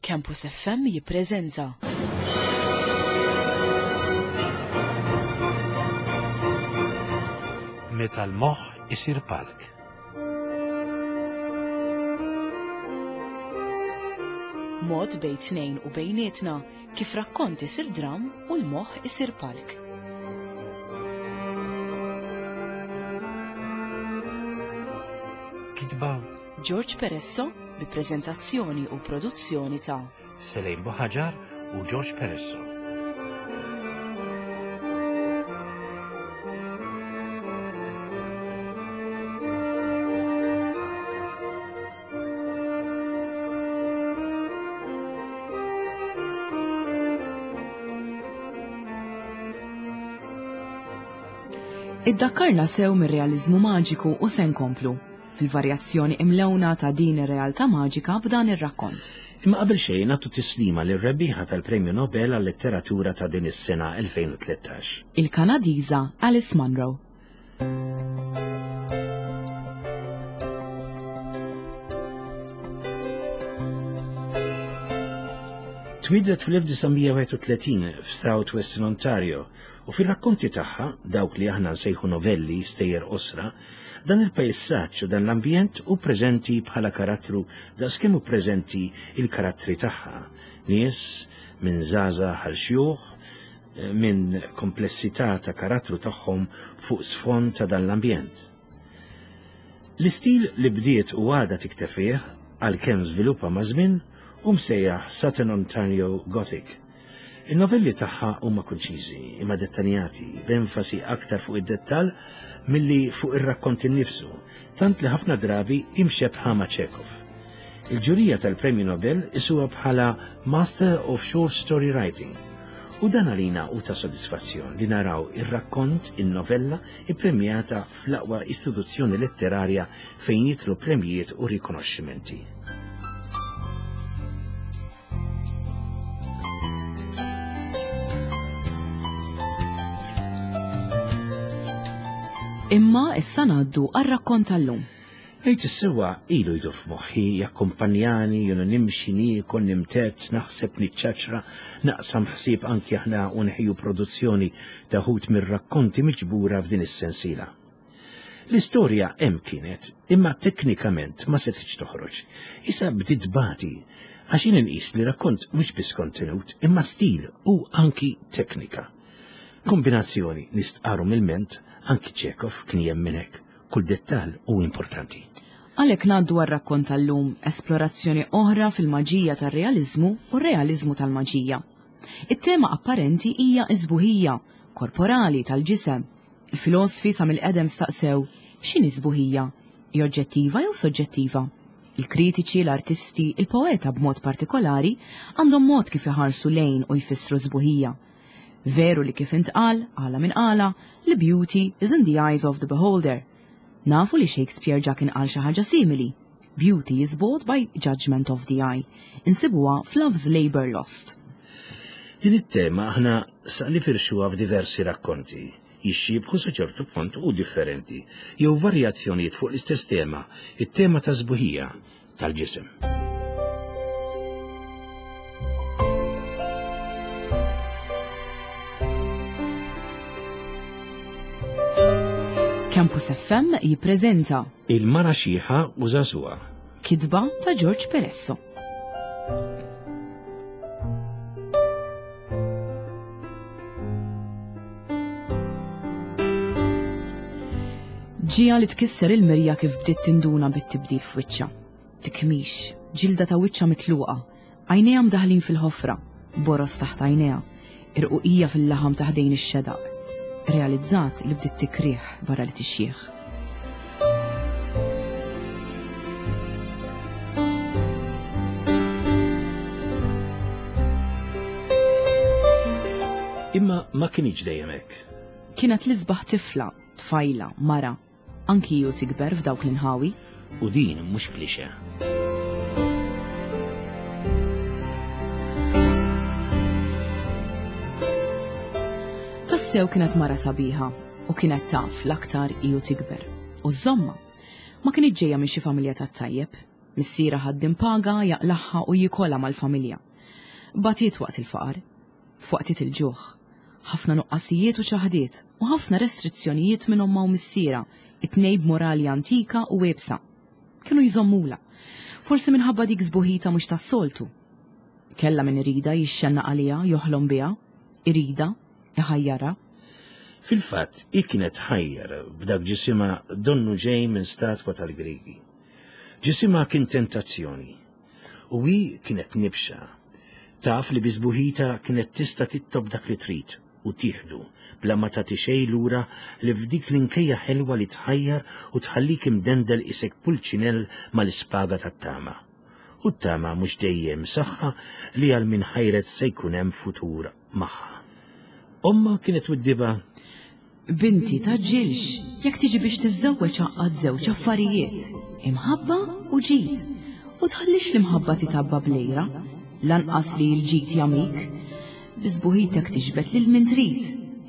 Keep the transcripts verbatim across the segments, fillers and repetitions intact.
Campus F M jippreżenta Meta l-moħħ isir palk. Mod bejn tnejn u bejnietna kif rakkont isir dram u l-moħħ isir palk. Kitba George Peresso bi preżentazzjoni u produzzjoni ta' Selejn Buħaġar u George Peresso. Iddakkarna sew mir-realiżmu maġiku u se nkomplu fil-varjazzjoni imlewna ta' din ir-realtà maġika b'dan ir-rakkont. Imma qabel xejn nagħtu tislima lir-rebbieħa tal-Premju Nobel għal-Letteratura ta' din is-sena elfejn u tlettax. Il-Kanadiża Alice Munro. Twieldet fl-elf disa' mija u wieħed u tletin f'South Western Ontario u fil-rakkonti tagħha, dawk li aħna nsejħu novelli, stejjer qosra, dan il-pajsaġġ u dan l-ambjent hu preżenti bħala karattru daqskemm hu preżenti il-karattri tagħha. Nies minn żgħażagħ għal xjuħ, minn komplessità ta' karattru tagħhom fuq sfond ta' dan l-ambjent. L-istil li bdiet u għadha tikteb fih, għalkemm żviluppa ma' żmien, u msejjaħ Southern Ontario Gothic. Il-novelli tagħha huma konċiżi, imma dettaljati, b'enfasi aktar fuq id-dettall milli fuq ir-rakkont innifsu, tant li ħafna drabi imxebħa ma' Chekhov. Il-ġurija tal-Premju Nobel qisuha bħala Master of Short Story Writing. U dan għalina hu ta' sodisfazzjon li naraw ir-rakkont, il-novella, ippremjata fl-aqwa istituzzjoni letterarja fejn jidħlu premjijiet u rikonoxximenti. Imma issa ngħaddu għar-rakkont tal-lum. Ngħid is-sewwa, ilu jdur f'moħħi, jakkumpanjani, jiena nimxi, niekol, nimtedd, naħseb, niċċaċra, naqsam ħsieb anki aħna u nħejju produzzjoni ta' wħud mir-rakkonti miġbura f'din is-sensiela. L-istorja hemm kienet, imma teknikament ma setgħetx toħroġ. Issa bdiet bati, għax jien inqis li rakkont mhux biss kontenut, imma stil u anki teknika. Kombinazzjoni nistqaru mill-ment, anki Chekhov kien jemmen hekk, kull dettal hu importanti. Għalhekk ngħaddu għar-rakkont tal-lum, esplorazzjoni oħra fil-maġija tar-realiżmu u r-realiżmu tal-maġija. It-tema apparenti hija is-sbuħija korporali tal-ġisem. Il-filosfi sa mill-qedem staqsew x'inhi sbuħija? Hi oġġettiva jew soġġettiva? Il-kritiċi, l-artisti, il-poeta b'mod partikolari għandhom mod kif iħarsu lejn u jfissru sbuħija. Veru li kif intqal, għala minn għala, li beauty is in the eyes of the beholder. Nafu li Shakespeare ġa kien qal xi ħaġa simili. Beauty is bought by judgment of the eye. Insibuha f'Love's Labor Lost. Din it-tema aħna sa nifirxuha f'diversi rakkonti, jixxiebħu sa ċertu punt u differenti, jew varjazzjonijiet fuq l-istess tema, it-tema ta' sbuħija tal-ġisem. Campus F M jippreżenta Il-mara xiħa u żagħżugħa. Kitba ta' George Peresso. Ġija li tkisser il-mirja kif bdiet tinduna bit-tibdil f'wiċċha. Tikmix, ġilda ta' wiċċha mitluqa, għajnejha mdaħlin fil-ħofra, boros taħt għajnejha, irquqija fil-laħam ta' ħdejn ix-xedaq. Realizzat li bdiet tikrih barra li tixjieħ. Imma ma kinitx dejjem hekk. Kienet l-isbaħ tifla, tfajla, mara, anki ju tikber f'dawk l-inħawi. U din mhux klixe. Tassew kienet mara sabiħa u kienet taf l-aktar iju tikber. U żomma, ma kienet ġejja minn xi familja tat-tajjeb. Missierha ħaddiem paga jaqlagħha u jikolha mal-familja. Batiet waqt il-faqar, f'waqtiet il-ġuħ. Ħafna nuqqasijiet u ċaħdiet u ħafna restrizzjonijiet minn ommha u missierha, it-tnejn b'morali antika u iebsa. Kienu jżommulha, forsi minħabba dik sbuħita mhux tas-soltu. Kellha min iridha jixxennaq għaliha, joħlom biha, iridha, iħajjarha. Fil-fatt, hi kienet tħajjar b'dak ġisimha donnu ġej minn statwa tal-Griegi. Ġisimha kien tentazzjoni u hi kienet nibxa. Taf li bi sbuħita kienet tista' titlob dak li trid u tieħdu bla ma tagħti xejn lura li f'dik l-inkejja ħelwa li tħajjar u tħallik imdendel isek pulċinell mal-ispaga tat-tama. U t-tama mhux dejjem saħħa li għal min ħajret se jkun hemm futur magħha. Omma kienet widdiba. Binti tgħaġġilx, jekk tiġi biex tiżżewweġ għaqqad żewġ affarijiet, imħabba u ġid. U tħallix l-imħabba titabba bl-għira, lanqas li l-ġid jagħmik. Bi sbuħitek tiġbed lil min trid,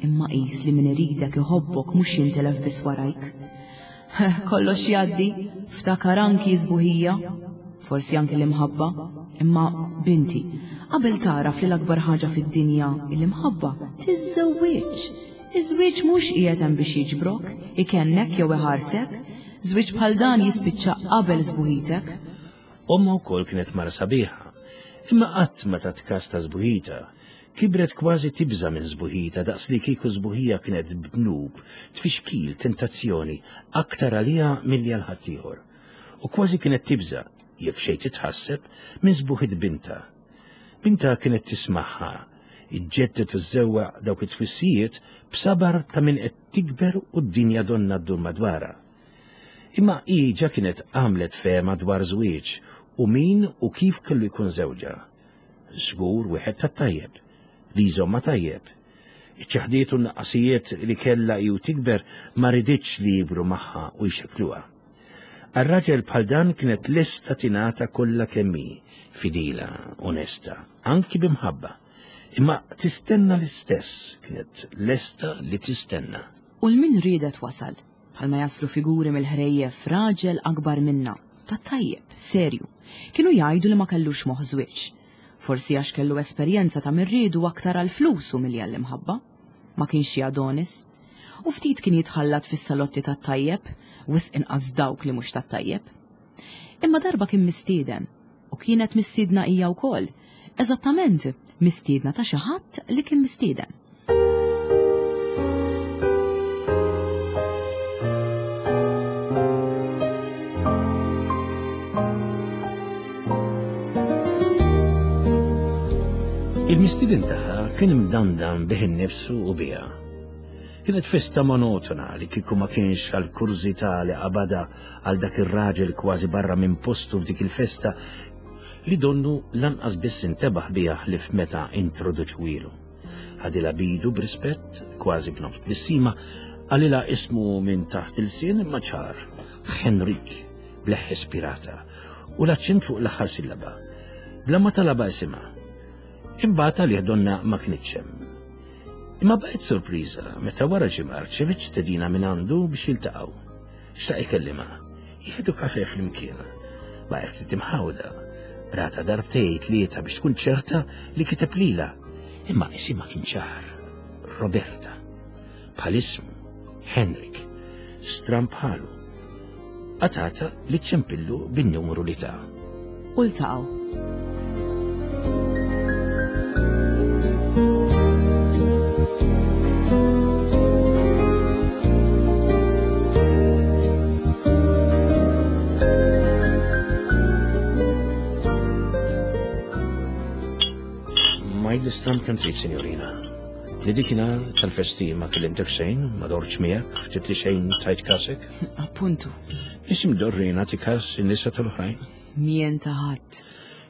imma qis li min iridek iħobbok mhux jintelef biss warajk. Kollox jgħaddi, ftakar anki sbuħija, forsi anki l-imħabba, imma binti, qabel tagħraf li l-akbar ħaġa fid-dinja l-imħabba, tiżżewwiġ. Iż-żwieġ mhux qiegħed hemm biex jiġbrok, ikennek jew iħarsek. Żwieġ bħal dan jispiċċa qabel sbuħitek. Omma wkoll kienet mara sabiħa, imma qatt ma tat kas ta' sbuħita. Kibret kważi tibża' minn sbuħita daqs li kieku sbuħija kienet dnub, tfixkil, tentazzjoni, aktar għaliha milli għal ħaddieħor. U kważi kienet tibża', jekk xejn titħasseb, minn sbuħit binta. Binta kienet tismagħha, iġġeddet u żewwa dawk it-twissijiet b'sabar ta' min qed tikber u d-dinja donna ddur madwarha. Imma hi ġa kienet għamlet fehma dwar żwieġ u min u kif kellu jkun żewġha. Żgur wieħed tat-tajjeb, li jżomma tajjeb. Iċ-ċaħdiet u n-naqqasijiet li kellha hi u tikber ma riditx li jibru magħha u jxekkluha. Għar-raġel bħal dan kienet lesta tingħata kollha kemm hi, fidila, onesta, anki b'imħabba. Imma tistenna l-istess, kienet lesta li tistenna. U l-min riedet wasal, bħalma jaslu figuri mill-ħrejjef raġel akbar minna, tat-tajjeb, serju. Kienu jgħidu li ma kellux moħħ żwieġ. Forsi għax kellu esperjenza ta' min riedu aktar għall-flus u milli għall-imħabba. Ma kienx xi Adonis. U ftit kien jitħallat fis-salotti tat-tajjeb, wisq inqas dawk li mhux tat-tajjeb. Imma darba kien mistieden, u kienet mistiedna hija wkoll. Eżattament, mistiedna ta' xi ħadd li kien mistieden. Il-mistieden tagħha kien imdandan bih innifsu u biha. Kienet festa monotona li kieku ma kienx għal kurżità li qabadha għal dak ir-raġel kważi barra minn postu f'dik il-festa li donnu lanqas biss intebaħ biha ħlief meta introduċwilu. Ħadilha bidu b'rispett, kważi b'nofs tbissima, qalilha ismu minn taħt il-sien imma ċar, Henrik, b'leħħ ispirata, u l-aċċent fuq l-aħħar sillaba. Bla ma talabha isimha. Imbagħad għalih donna ma kinitx hemm. Imma baqgħet sorpriża meta wara ġimgħa rċeviet stedina minn għandu biex jiltaqgħu. Xtaq ikellimha, jieħdu kafe flimkien. Baqgħet ftit imħawda. Rata darbtejn tlieta biex tkun ċerta li kiteb lilha. Imma isimha kien ċar, Roberta. Bħal ismu, Henrik, stramb bħalu. Qatgħatha li ċempillu bin-numru li ta. U ltaqgħu. Ma jgħid kemm trid, sinjorina. Li dikinhar tal-festi ma kellimtek xejn, ma dortx miegħek, ftit li xejn tajt kasek. Appuntu. Isim dorri nagħti kas in-nisa tal-oħrajn. Mien ta' ħadd.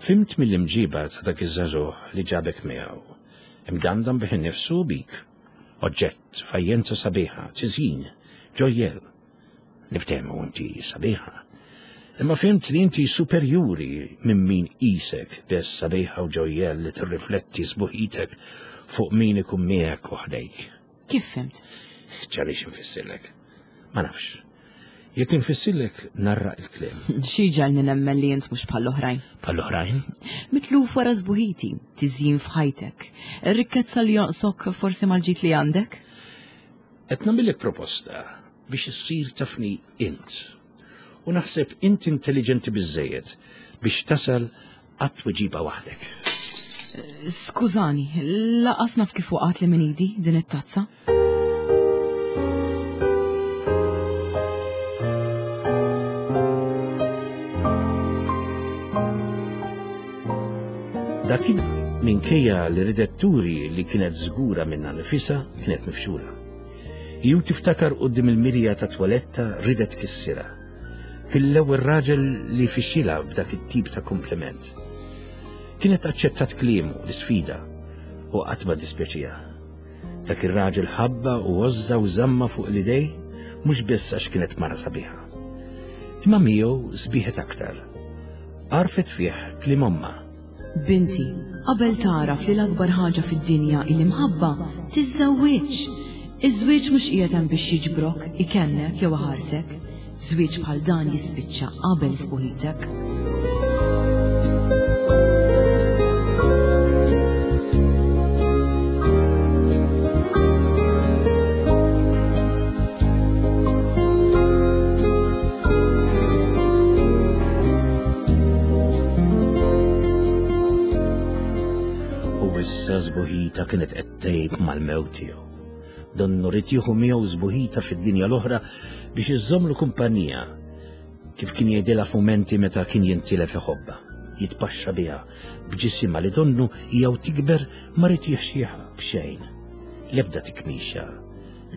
Fhimt mill-imġiba ta' dak iż-żagħżugħ li ġabek miegħu. Imdandam bih innifsu bik. Oġġett, fajjenza sabiħa, tiżjin, ġojjel. Niftehmu inti sabiħa. Imma fhimt li inti superjuri minn min qisek biss sabiħa u ġojjel li tirrifletti sbuħitek fuq min ikun miegħek u ħdejk. Kif fhimt? Ċarix infissirlek. Ma nafx. Jekk infissillek narraq il-kliem. Xi ġagħalni nemmen li int mhux bħall-oħrajn. Bħall-oħrajn? Mitluf wara sbuħiti, tiżjin f'ħajtek. Ir-rikkezza li jonqsok forsi mal-ġid li għandek? Qed nagħmillek proposta biex issir tafni int. U naħseb int intelligenti biżżejjed biex tasal għat-tweġiba waħdek. Skużani, lanqas naf kif waqgħet li minn idi din it-tazza. Dakin minkejja li ridet turi li kienet żgura minnha nifisha kienet mifxula. Ju tiftakar quddiem il-mirja ta' twaletta ridet kissira. Kien l-ewwel raġel li fixxilha b'dak it-tip ta' kompliment. Kienet aċċettat kliemu l-isfida u qatt ma dispjaċiha. Dak ir-raġel ħabba u għożża u żamma fuq l-idej mhux biss għax kienet mara sabiħa. Imma miegħu sbieħet aktar. Għarfet fih kliem ommha. Binti, qabel tagħraf li l-akbar ħaġa fid-dinja il-imħabba, tiżżewwiġ. Iż-żwieġ mhux qiegħed hemm biex jiġbrok, ikennek jew iħarsek. Żwieġ bħal dan jispiċċa qabel sbuħitek. U issa sbuħita kienet qed tgħib mal-mewt tiegħu. Donnu rid jieħu miegħu sbuħita fid-dinja l-oħra biex iżommlu kumpanija, kif kien jgħidilha f'mumenti meta kien jintilef iħobbha, jitpaxxa biha b'ġisimha li donnu jew tikber ma rid jixxieha b'xejn. L-ebda tikmixa,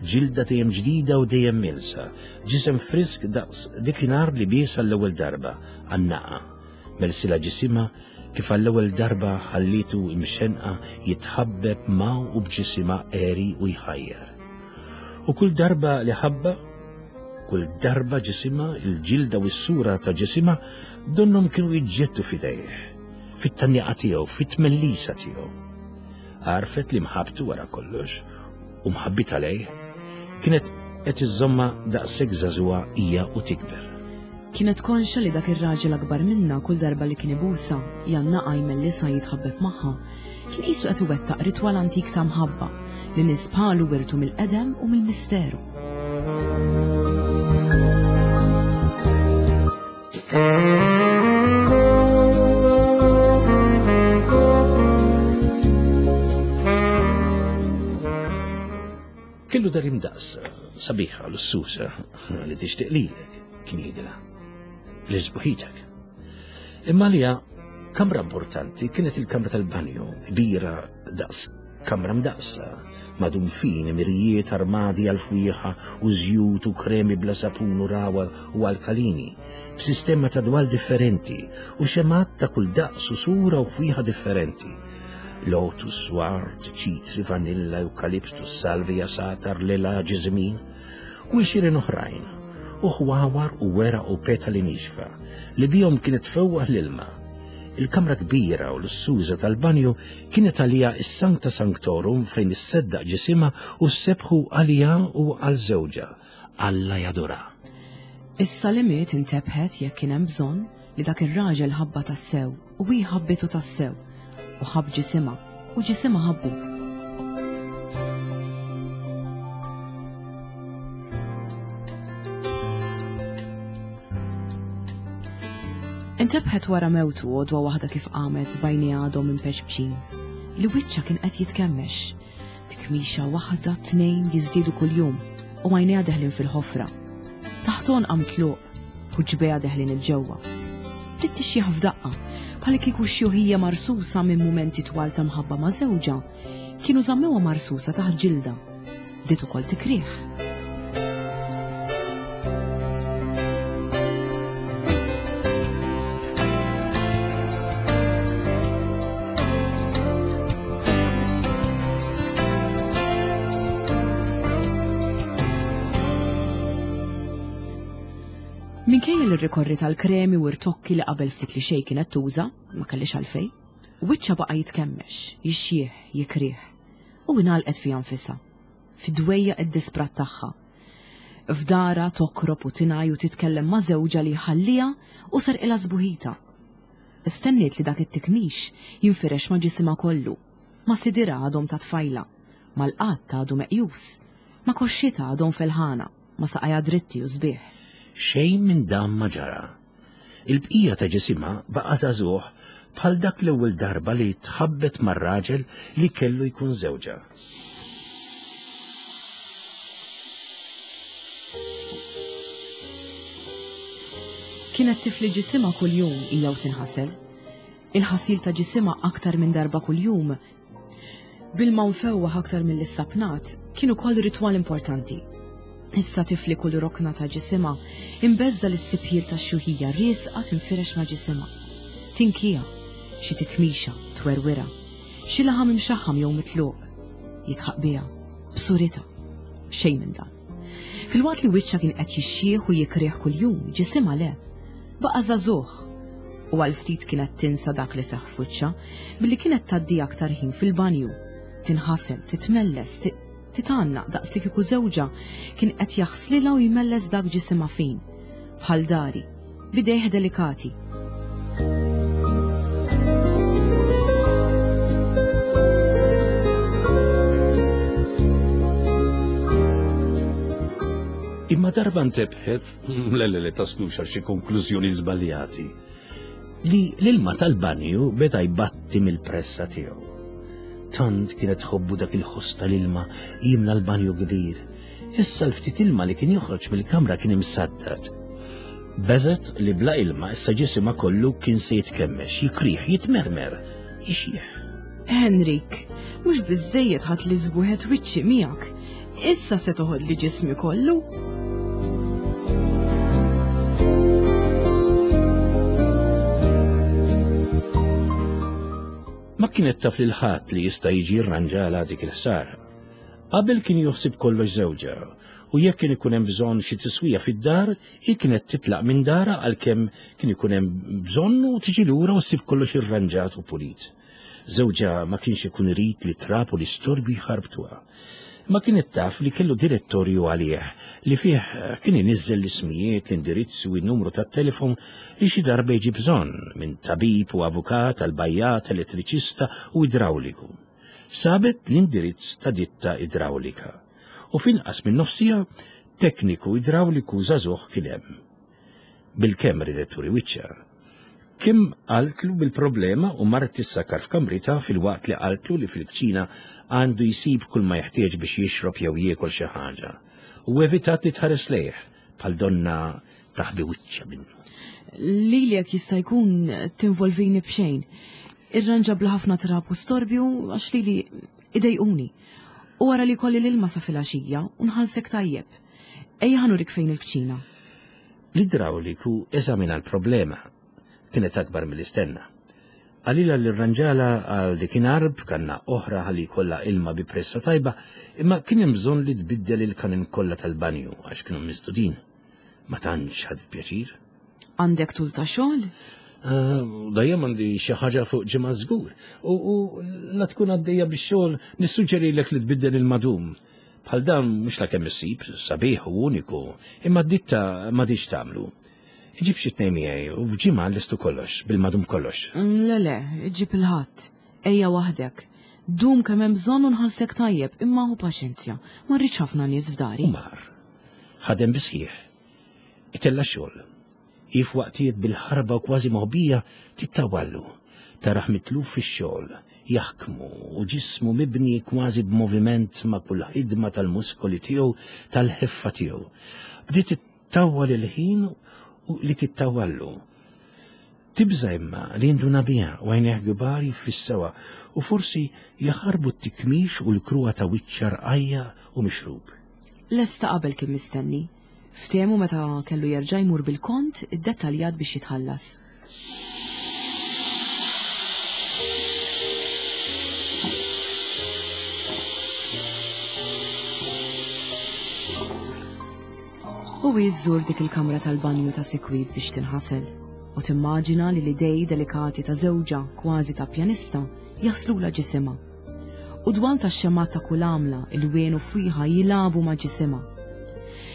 ġilda dejjem ġdida u dejjem milsa, ġisem frisk daqs dikinhar li bies għall-ewwel darba għan-naqa, melsila ġisimha kif għall-ewwel darba ħallitu imxenqa jitħabbeb ma' u b'ġisimha għeri u jħajjar. U kull darba li ħabba, kull darba ġisimha, il-ġilda u s-sura ta' ġisimha donhom kienu jiġġettu f'idejh, fit-tannjaqa tiegħu, fit-tmellisa tiegħu. Għarfet li mħabbtu wara kollox u mħabbitha lejh kienet qed iżżommha daqshekk żagħżugħa hija u tikber. Kienet konxa li dak ir-raġel akbar minna kull darba li kien ibusa, jannaqa jmellisa jitħabbeb magħha, kien qisu qed iwettaq ritwal antik ta' mħabba li nies bħalu wirtu mill-qedem u mill-misteru. Kellu dar imdaqsa, sabiħa, lussusa, li tixtieq lilek, kien jgħidilha. Li sbuħitek. Imma għalija kamra importanti kienet il-kamra tal-banju, kbira daqs kamra mdaqsa, madum fin, mirijiet, armadi għal-fwieħa u żjut u kremi bla sapun u rawa u alkalini, b'sistema ta' dwal differenti u xemat ta' kull daqs u sura u fwieħa differenti. Lotus, ward, ċitri, vanilla, eukaliptus, salvia, satar, lila, ġiżmin u għexieren oħrajn, u ħwawar u weraq u petali nixfa li bihom kienet tfewwaħ l-ilma. Il-kamra kbira u l-suża tal-banju kienet għalija is-Sancta Sanctorum fejn isseddaq ġisimha u ssebħu għalija u għal żewġha, Alla jadura. Issa li miet intebħet jekk kien hemm bżonn li dak ir-raġel ħabba tassew u hi ħabbitu tassew u ħabb ġisimha u ġisimha ħabbu. Intebħet wara mewtu għodwa waħda kif qamet bajni għadhom impeċbċin li wiċċha kien qed jitkemmex. Tikmixa waħda tnejn jiżdiedu kuljum u għajnejha deħlin fil-ħofra. Taħton qam tluq u ġbejha deħlin il-ġewwa. Bdiet tixjieħ f'daqqa, bħal kieku xjuħija marsusa minn mumenti twal ta' mħabba ma' żewġha, kienu żammewha marsusa taħt ġilda. Bdiet ukoll tikrih. Minkejja li rrikorri tal-kremi u rtokki li qabel ftit li xejn kienet tuża, ma kellix għalfejn, wiċċha baqa' jitkemmex, jixjieħ, jikrih, u ingħalqet fiha nfisha, fid-dwejja id-disprat tagħha. F'dara tokrob u tingħaj u titkellem ma' żewġha li ħallieha u serqilha sbuħita. Istenniet li dak it-tikmix jinfirex ma' ġisimha kollu, ma' sidirha għadhom ta' tfajla, mal-qatt għadu meqjus, ma' koxxitha għadhom felħana, ma' saqajha dritti u sbieħ. Xejn minn dan ma ġara. Il-bqija ta' ġisimha baqa' żagħżugħ bħal dak l-ewwel darba li tħabbet mar-raġel li kellu jkun żewġha. Kienet tifli ġisimha kuljum hija u tinħasel. Il-ħasil ta' ġisimha aktar minn darba kuljum bil-ma mfewwaħ aktar mill-issapnat kien ukoll ritwal importanti. Issa tifli kull rokna ta' ġisimha imbeżza lis-sipjil tax-xuħija riesqa tinfirex ma' ġisimha. Tinkija, xi tikmixa, twerwira, xi laħam imxaħħam jew mitluq, jitħaq biha, b'suritha, xejn minn dan. Filwaqt li wiċċha kien qed jixxieħ u jikrieħ kuljum, ġisimha le, baqa' żagħżugħ. U għal ftit kienet tinsa dak li seħħ f'wiċċha billi kienet tgħaddi aktar ħin fil-banju, tinħasel, titmelles, titgħannaq daqs li kieku żewġha kien qed jaħslilha u jmelles dak ġisimha fin, bħal dari, b'idejh delikati. Imma darba ntebħet, le le le taslux għal xi konklużjoni żbaljati, li l-ilma tal-banju beda jbatti mill-pressa tiegħu. Tant kienet tħobbu dak il-ħoss tal-ilma jimla l-banju kbir. Issa l-ftit ilma li kien joħroġ mill-kamra kien imsaddad. Beżet li bla ilma issa ġisimha kollu kien se jitkemmex, jikrih, jitmermer, jixjieħ. Henrik, mhux biżżejjed ħadd li żbuħet wiċċi miegħek. Issa se toħod li ġismi kollu. Ma kienet taf lil ħadd li jista' jiġi rranġala dik il-ħsara. Qabel kien joħsib kollox żewġha, u jekk kien ikun hemm bżonn xi tiswija fid-dar, hi kienet titlaq minn darha għalkemm kien ikun hemm bżonn u tiġi lura u ssib kollox irranġat u pulit. Żewġha ma kienx ikun irid li trab u l-istorbju jħarbtuha. Ma kienet taf li kellu direttorju għalih li fih kien iniżżel l-ismijiet, l-indirizz u n-numru tat-telefon li xi darba jiġi bżonn minn tabib u avukat għal bajjat, elettriċista u idrawliku. Sabet l-indirizz ta' ditta idrawlika u f'inqas minn nofsija tekniku idrawliku żagħżugħ kien hemm. Bilkemm ridet turi wiċċha. Kim qaltlu bil-problema u marret tissakar f'kamrita fil-waqt li qaltlu li fil-kċina għandu jsib kull ma jeħtieġ biex jixrob jew jiekol xi ħaġa. U evitat li tħares lejh bħal donna taħbi wiċċha minnu. Lili jekk jista' jkun tinvolvini b'xejn. Irranġa bla ħafna trab u storbju għax lili idejquni. U wara li kolli l-ilma sa filgħaxija u nħallsek tajjeb. Ejja ħa nurik fejn il-kċina. L-idrawliku eżamina l-problema. Kienet akbar mill-istenna. Qalilha li rranġala għal dikinhar b'kanna oħra ħalli jkollha ilma bi pressa tajba, imma kien hemm bżonn li tbiddel il-kanin kollha tal-banju għax kienu misdudin. Ma tantx ħadet pjaċir. Għandek tul ta' xogħol? Dejjem għandi xi ħaġa fuq ġimgħa żgur. U, u la tkun għaddejja bix-xogħol nissuġġerilek li tbiddel il-madum. Bħal dan mhux la kemm issib, sabiħ u uniku, imma d-ditta m'għadix tagħmlu. Ġib xi tnejn miegħi u f'ġimgħa lestu kollox, bil-madum kollox. Le le, ġib il-ħadd. Ejja waħdek. Dum kemm hemm bżonn u nħallsek tajjeb, imma hu paċenzja. Ma rridx ħafna nies f'dari. U mar. Ħadem bisħieħ. Itella' xogħol. If waqtiet bil-ħarba u kważi moħbija tittawallu. Taraħ mitluf fix-xogħol, jaħkmu u ġismu mibni kważi b'moviment ma' kull ħidma tal-muskoli tiegħu, tal-ħeffa tiegħu. Bdiet tittawwal il-ħin u li tittawallu. Tibża imma li jinduna biha u għajnejh kbar jiffissewa u forsi jaħarbu t-tikmix u l-kruha ta' wiċċha rqajja u mixrub. Lesta qabel kien mistenni. Ftehmu meta kellu jerġa' jmur bil-kont iddettaljat biex jitħallas. U iżżur dik il-kamra tal-banju ta' sikwit biex tinħasel u timmaġina li l-idej delikati ta' żewġha kważi ta' pjanista jaslula ġisimha. U dwal ta' xemat ta' kull għamla, il-wien u fwieħa jilagħbu ma' ġisimha.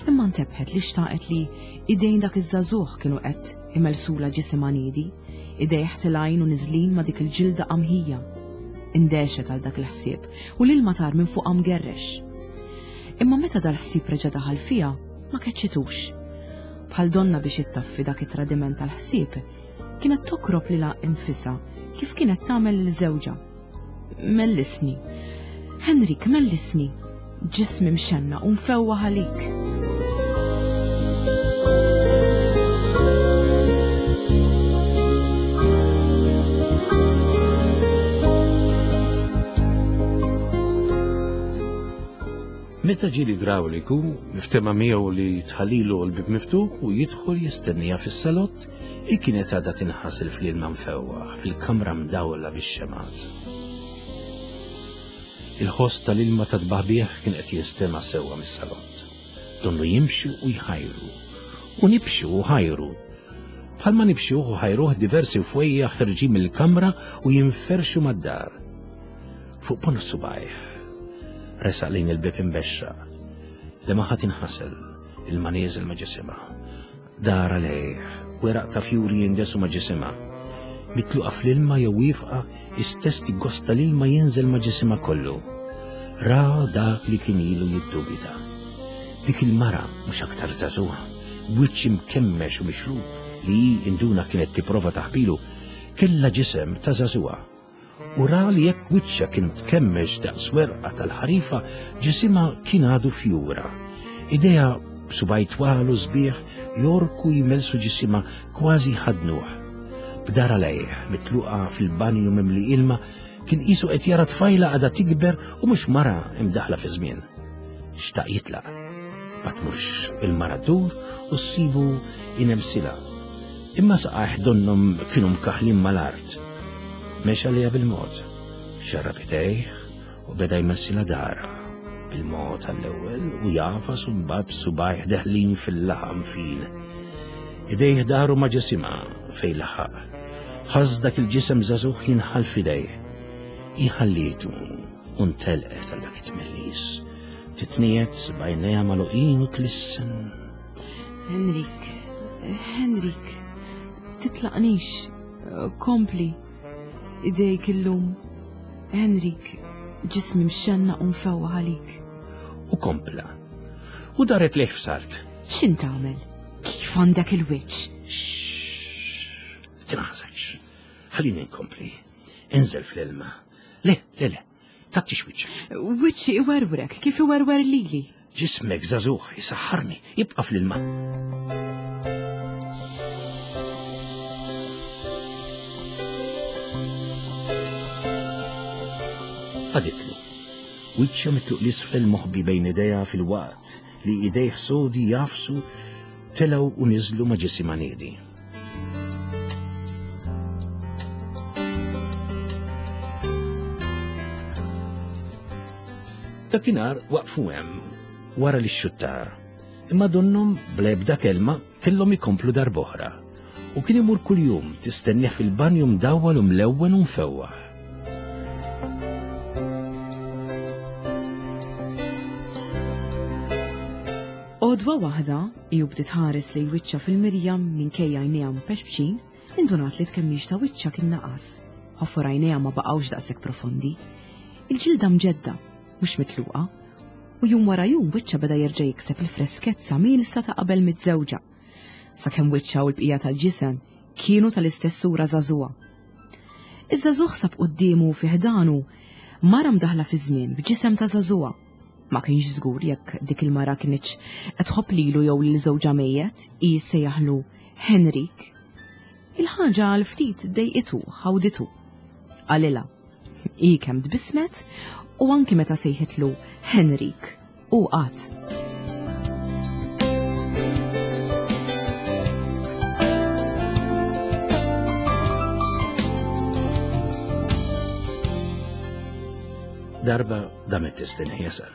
Imma ntebħet li xtaqet li idejn dak iż-żagħżugħ kienu qed imelsula ġisimha niedi, idejh tilgħin u niżlin ma' dik il-ġilda qamħija. Indehxet għal dak il-ħsieb u l-ilma tar minn fuqha mgerrex. Imma meta dal-ħsieb reġa' daħal fiha, ma keċċitux. Bħal donna biex ittaffi dak it-tradiment tal-ħsieb, kienet tokrob lilha infisha kif kienet tagħmel lil żewġha. Mellisni. Henrik, mellisni. Ġismi mxennaq u mfewwaħ għalik. Meta ġie l-idrawliku, miftema miegħu li tħallilu l-bib miftuħ u jidħol jistennija fis-salott, hi kienet għadha tinħasel fl-ilma mfewwaħ fil-kamra mdawla bix-xemgħat. Il-ħoss tal-ilma ta' tbaħbih kien qed jinstema' sewwa mis-salott. Donnu jimxu u jħajru, u nibxu u ħajru. Bħalma nibxuh u ħajruh diversi fwejjaħ ħerġin mill-kamra u jinferxu mad-dar. Fuq ponn subgħajh, resaq lejn il-bib imbexxaq. Li ma ħadd inħasel, ilma nieżel ma' ġisimha. Dar għalih, weraq ta' fjuri jindesu ma' ġisimha. Mitluqa fl-ilma jew wieqfa, istess tiggosta l-ilma jinżel ma' ġisimha kollu. Ra dak li kien ilu jiddubita. Dik il-mara mhux aktar żagħżugħa, b'wiċċ imkemmex u mixrub li hi induna kienet tipprova taħbilu, kellha ġisem ta' żagħżugħa. U ra li jekk wiċċha kien tkemmex daqs werqa tal-ħarifa, ġisimha kien għadu fjura. Idejha b'subgħaj twal u sbieħ jorku jmelsu ġisimha kważi ħadnuh. B'dara lejh, mitluqa fil-banju mimli ilma, kien qisu qed jara tfajla għadha tikber u mhux mara imdaħla fi żmien. Xtaq jitlaq. Ma tmurx il-mara ddur u ssibu inemsilha. Imma saqajh donnhom kienu mkaħlin mal-art. Mexa lejha bil-mod, xarrab idejh u beda jmessilha dara. Bil-mod għall-ewwel u jafas u mbagħad b'subgħajh deħlin fil-laħam fin. Idejh daru ma' ġisimha fejn laħaq. Ħass dak il-ġisem żagħżugħ jinħall f'idejh. Hi ħallietu u ntelqet għal dak it-tmellis. Titniet b'għajnejha magħluqin u tlissen. Henrik, Henrik, titlaqnix, kompli. Idejk illum. Henrik, ġismi mxennaq u mfewwaħ għalik. U kompla. U daret lejh f'salt. X'int tagħmel? Kif għandek il-wiċċ? Xxx, tinħasakx. Ħallini nkompli. Inżel fl-ilma. Le, le, le, tagħtix wiċċek. Wiċċi iwerwrek, kif iwerwer lili. Ġismek żagħżugħ isaħħarni, ibqa' fl-ilma. Għaditlu. Wiċċha mitluq l-isfel moħbi bejn idejha fil-waqt li idejh sodi jafsu telgħu u niżlu ma' ġisimha niedi. Dakinhar waqfu hemm wara li xxuttar, imma donnhom bl-ebda kelma kellhom ikomplu darb'oħra. U kien imur kuljum tistennieh fil-banju mdawwal u mlewwen u mfewwaħ. Għodwa waħda, hi u bdiet ħares lejn wiċċha fil-mirja minkejja għajnejha mpexpxin, indunat li tkemmix ta' wiċċha kien naqas. Ħofor għajnejha ma baqgħux daqshekk profondi. Il-ġilda mġedda, mhux mitluqa, u jum wara jum wiċċha beda jerġa' jikseb il-freskezza mielsa ta' qabel miżżewġa. Sakemm wiċċha u l-bqija tal-ġisem kienu tal-istess sura żagħżugħa. Iż-żagħżugħ sab quddiemu fi ħdanu mara mdaħla fi żmien b'ġisem ta' żagħżugħa. Ma kienx żgur jekk dik il-mara kienx qed tħobb lilu jew lil żewġha mejjet, hi sejjaħlu Henrik. Il-ħaġa għal ftit dejqitu, ħawditu. Qalilha. Hi kemm tbissmet u anki meta sejħitlu Henrik u qatt. Darba damet tistenni jasal.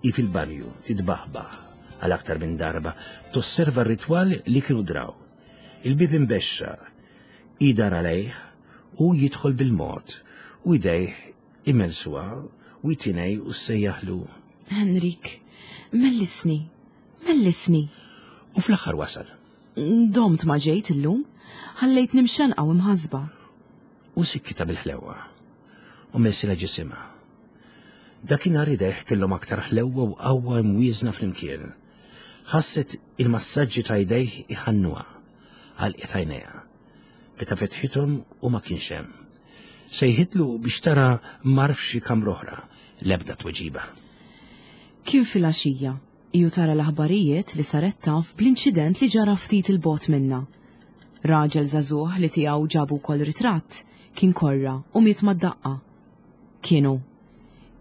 Hi fil-banju titbaħbaħ għal aktar minn darba tosserva r-ritwal li kienu draw. Il-bib imbexxa, hi dar għalejh u jidħol bil-mod u idejh imelsuha u jtinej u sejjaħlu. Henrik, mellisni, Mellisni. U fl-aħħar wasal. Domt ma ġejt illum, ħallejtni mxenqa u mħasba. U sikkita bil-ħlewwa. U messila ġisimha. Dakinhar idejh kellhom aktar ħlewwa u qawwa imwieżna flimkien. Ħasset il-massaġġi ta' idejh iħannuha, għalqet għajnejha. Meta fetħithom u ma kienx hemm. Sejħitlu biex tara mar f'xi kamra oħra, l-ebda tweġiba. Kien filgħaxija, iju tara l-aħbarijiet li saret taf bl-inċident li ġara ftit il-bogħod minna. Raġel żagħżugħ li tiegħu ġabu wkoll ritratt kien korra u miet mad-daqqa. Kienu.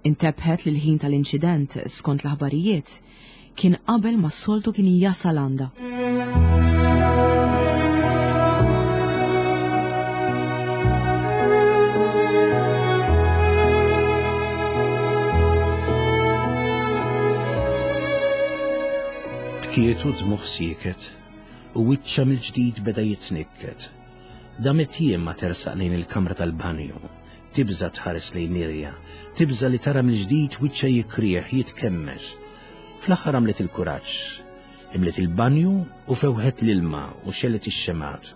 Intebħet li l-ħin tal-inċident, skont l-aħbarijiet, kien qabel ma s-soltu kien jasal għandha. Bkietu dmuħ sieket u wiċċha mill-ġdid beda jitnikket. Damet jiem ma tersaq lejn il-kamra tal-banju. Tibża tħares lejn mirja, tibża li tara mill-ġdid wiċċha jikrieħ, jitkemmex. Fl-aħħar għamlet il-kuraġġ. Imlet il-banju u fewħet l-ilma u xellet ix-xemat.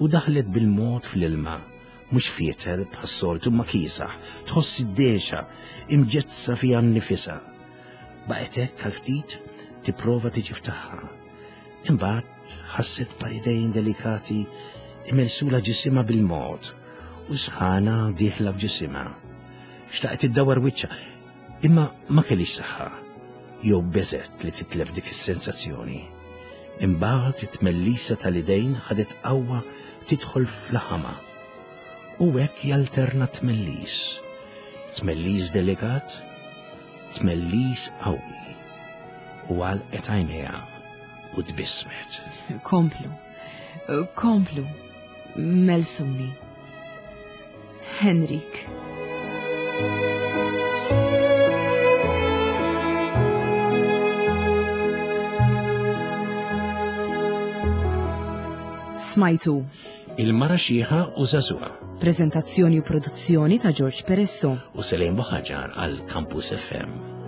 U daħlet bil-mod fl-ilma, mhux fietel bħas-soltu ma kiesaħ, tħoss id-dexa, imġezza fiha nnifisha. Baqgħet hekk għal ftit tipprova tiġi ftaħħa. Imbagħad ħasset par idejn delikati imelsula ġisimha bil-mod u sħana dieħla f'ġisimha. Xtaqet iddawar wiċċha, imma ma kellix saħħa, jew beżet li titlef dik is-sensazzjoni. Imbagħad it-tmellisa tal-idejn ħadet qawwa tidħol fl-ħama. U hekk jalterna tmellis. Tmellis delikat, tmellis qawwi. U għalqet għajnejha u tbissmet. Komplu, komplu, melsuni. Henrik. Smajtu. Il-mara xieħa u żagħżugħa. Prezentazzjoni u produzzjoni ta' George Peresso. U Selene Buħaġar għal Campus F M.